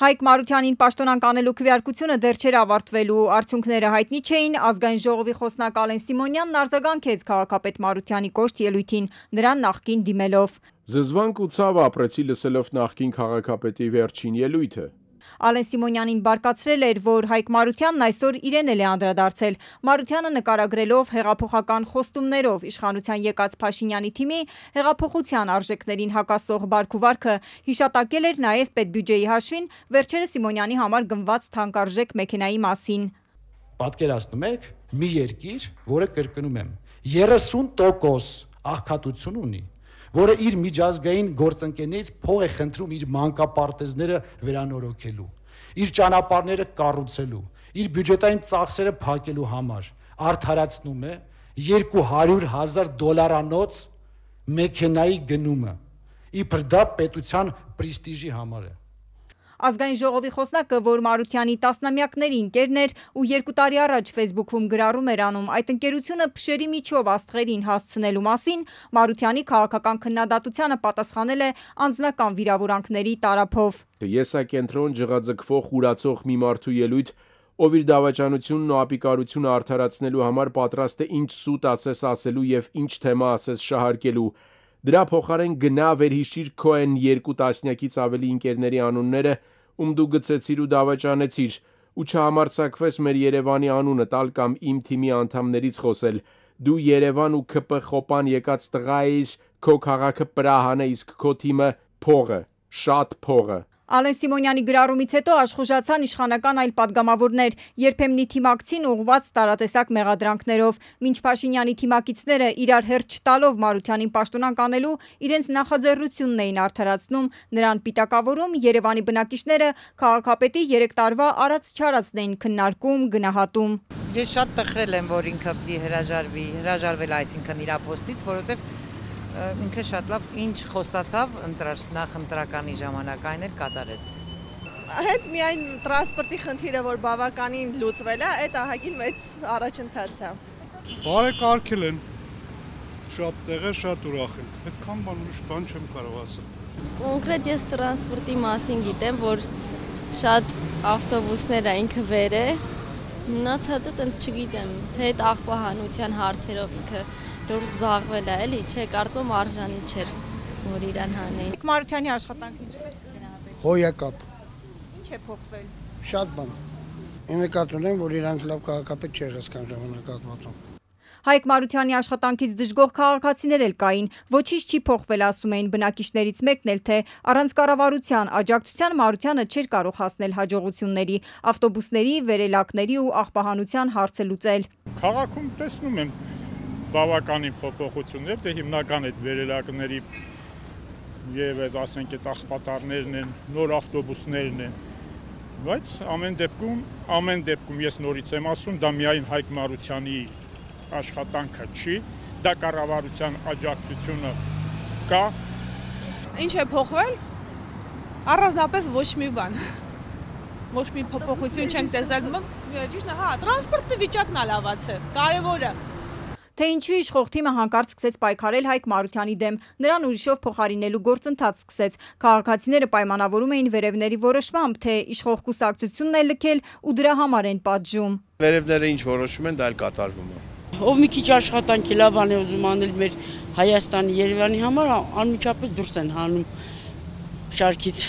Հայկ Մարությանին պաշտոնանկ անելու քվեարկությունը դեռ չէր ավարտվելու, արդյունքները հայտնի չէին, ազգային ժողովի խոսնակ Ալեն Սիմոնյանն արձագանքեց քաղաքապետ Մարությանի կոշտ ելույթին, նրան նախկին դիմելով։ Զզվանք ու ցավ ապրեցի լսելով նախկին քաղաքապետի վերջին ելույթը։ Ալեն Սիմոնյանին բարկացրել էր, որ Հայկ Մարությանն այսօր իրեն էլ է անդրադարձել։ Մարությանը նկարագրելով հեղափոխական խոստումներով իշխանության եկած Փաշինյանի թիմի հեղափոխության արժեքներին հակասող բարքուվարքը հիշատակել էր նաև պետբյուջեի հաշվին վերջերս Սիմոնյանի համար գնված թանկարժեք մեքենայի մասին։ Պատկերացնում եք մի երկիր, որը կրկնում եմ 30% աղքատություն ունի, որը իր միջազգային գործընկերներից փող է խնդրում իր մանկապարտեզները վերանորոգելու, իր ճանապարհները կառուցելու, իր բյուջետային ծախսերը փակելու համար արդարացնում է $200,000 մեքենայի գնումը, իբր դա պետության պրեստիժի համար է։ Ազգային ժողովի խոսնակը, որ Մարությանի տասնամյակների ընկերն էր ու 2 տարի առաջ Facebook-ում գրառում էր անում այդ ընկերությունը փշերի միջով աստղերին հասցնելու մասին, Մարությանի քաղաքական քննադատությանը պատասխանել է անձնական վիրավորանքների տարափով։ Եսակենտրոն ջղաձգվող ուրացող մի մարդու ելույթ, ով իր դավաճանությունն ու ապիկարությունը արդարացնելու համար պատրաստ է ինչ սուտ ասես ասելու եւ ինչ թեմա ասես շահարկելու։ Դրա փոխարեն գնա վերհիշիր քո այն 2 տասնյակից ավելի ընկերների անունները, ում դու գցեցիր ու դավաճանեցիր, ու չհամարձակվես մեր Երևանի անունը տալ կամ իմ թիմի անդամներից խոսել։ Դու Երևան ու ՔՊ խոպան եկած տղա ես, քո քաղաքը Պրահան է, իսկ քո թիմը փողը, շատ փողը։ Ալեն Սիմոնյանի գրառումից հետո աշխուժացան իշխանական այլ падգամավորներ, երբեմնի թիմակցին ուղղված տարատեսակ մեղադրանքներով, մինչ Փաշինյանի թիմակիցները իրար հերթ չտալով Մարությանին պաշտոնանկ անելու իրենց նախաձեռնությունն էին արդարացնում, նրան պիտակավորում, Երևանի բնակիչները քաղաքապետի 3 տարվա արած-չարածն էին քննարկում, գնահատում։ Ես շատ տխրել եմ, որ ինքը պիտի հրաժարվել այսինքն իր պոստից, որովհետև ինքը շատ լավ ինչ խոստացավ նախընտրականի ժամանակ այն էլ կատարեց։ Հետ միայն տրանսպորտի խնդիրը, որ բավականին լուծվել է, այդ ահագին մեծ առաջընթաց է։ Բարեկարգել են, շատ տեղեր, շատ ուրախ են, այդքան բան ուրիշ բան չեմ կարող ասել։ Կոնկրետ ես տրանսպորտի մասին գիտեմ, որ շատ ավտոբուսներ է ինքը վեր է, մնացածը տենց չգիտեմ, թե այդ աղբահանության հարցերով ինքը դուրս զբաղվել է, էլի, չէ, կարծում արժանի չէր, որ իրան հանեին։ Մարությանի աշխատանքը ինչպես կգնահատեք։ Հոյակապ։ Ինչ է փոխվել։ Շատ բան։ Ինձ նկատում եմ, որ իրանք լավ քաղաքապետ չի եղել ժամանակահատվածում։ Հայկ Մարությանի աշխատանքից դժգոհ քաղաքացիներ էլ կային, ոչինչ չի փոխվել, ասում էին բնակիչներից մեկն էլ, թե առանց կառավարության աջակցության Մարությանը չէր կարող հասնել հաջողությունների, ավտոբուսների, վերելակների ու աղբահանության հարցը լուծել։ Քաղաքում տեսնում եմ բավականին փոփոխություններ, դե հիմնական այդ վերելակների եւ այդ ասենք այդ աղբատարներն են, նոր ավտոբուսներն են, բայց ամեն դեպքում ես նորից եմ ասում, դա միայն Հայկ Մարությանի աշխատանքը չի, դա կառավարության աջակցությունը կա։ Ինչ է փոխվել։ Առանձնապես ոչ մի բան։ Ոչ մի փոփոխություն չենք տեսել։ Ճիշտ է, հա, տրանսպորտի վիճակն է լավացել։ Կարևորը։ Թե ինչու իշխող թիմը հանկարծ սկսեց պայքարել Հայկ Մարությանի դեմ, նրան ուրիշով փոխարինելու գործընթաց սկսեց։ Քաղաքացիները պայմանավորում էին վերևների որոշմամբ, թե իշխող կուսակցությունն է լքել ու դրա համար են պատժում։ Վերևները ինչ որոշում են, դա էլ կատարվում է։ Ով մի քիչ աշխատանքի լավ բան է ուզում անել մեր Հայաստանի, Երևանի համար, անմիջապես դուրս են հանում շարքից։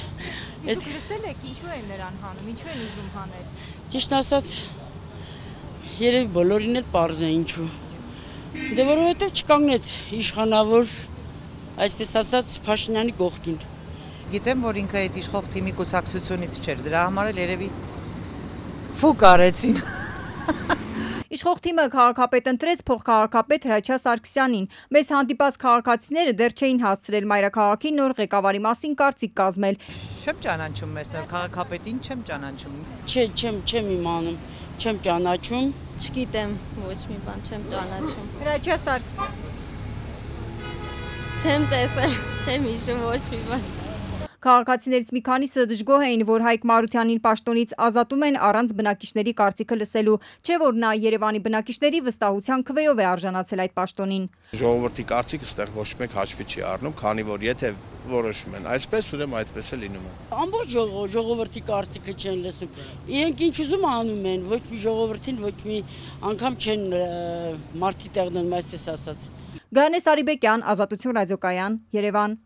Դուք լսել եք ինչու են նրան հանում, ինչու են ուզում հանել։ Ճիշտ ասած, երևի բոլորին էլ պարզ է ինչու։ Դե որովհետև չկանգնեց իշխանավոր, այսպես ասած, Փաշինյանի կողքին։ Գիտեմ, որ ինքը այդ իշխող թիմի կուսակցությունից չէր, դրա համար էլ երևի ֆուկ արեցին։ Իշխող թիմը քաղաքապետ ընտրեց փոխքաղաքապետ Հրաչյա Սարգսյանին։ Մեզ հանդիպած քաղաքացիները դեռ չէին հասցրել մայրաքաղաքի նոր ղեկավարի մասին կարծիք կազմել։ Չեմ ճանաչում մեզ նոր քաղաքապետին, չեմ ճանաչում։ Չէ, չեմ իմանում, չեմ ճանաչում։ Չգիտեմ, ոչ մի բան չեմ ճանաչում։ Հրաչյա Սարգսյան։ Չեմ տեսել, չեմ հիշում ոչ մի բան։ Քաղաքացիներից մի քանիսը դժգոհ էին, որ Հայկ Մարությանին պաշտոնից ազատում են առանց բնակիչների կարծիքը լսելու, չէ որ նա Երևանի բնակիչների վստահության քվեով է արժանացել այդ պաշտոնին։ Ժողովրդի կարծիքը ստեղ ոչ մեկ հաշվի չի առնում, քանի որ եթե որոշում են այսպես, ուրեմն այդպես է լինում է։ Ամբողջ ժողովրդի կարծիքը չեն լսում։ Իրենք ինչ ուզում անում են, ոչ մի ժողովրդին ոչ մի անգամ չեն մարդի տեղն, այսպես ասած։ Գայանե Սարիբեկյան, Ազատություն ռադիոկայան, Երևան։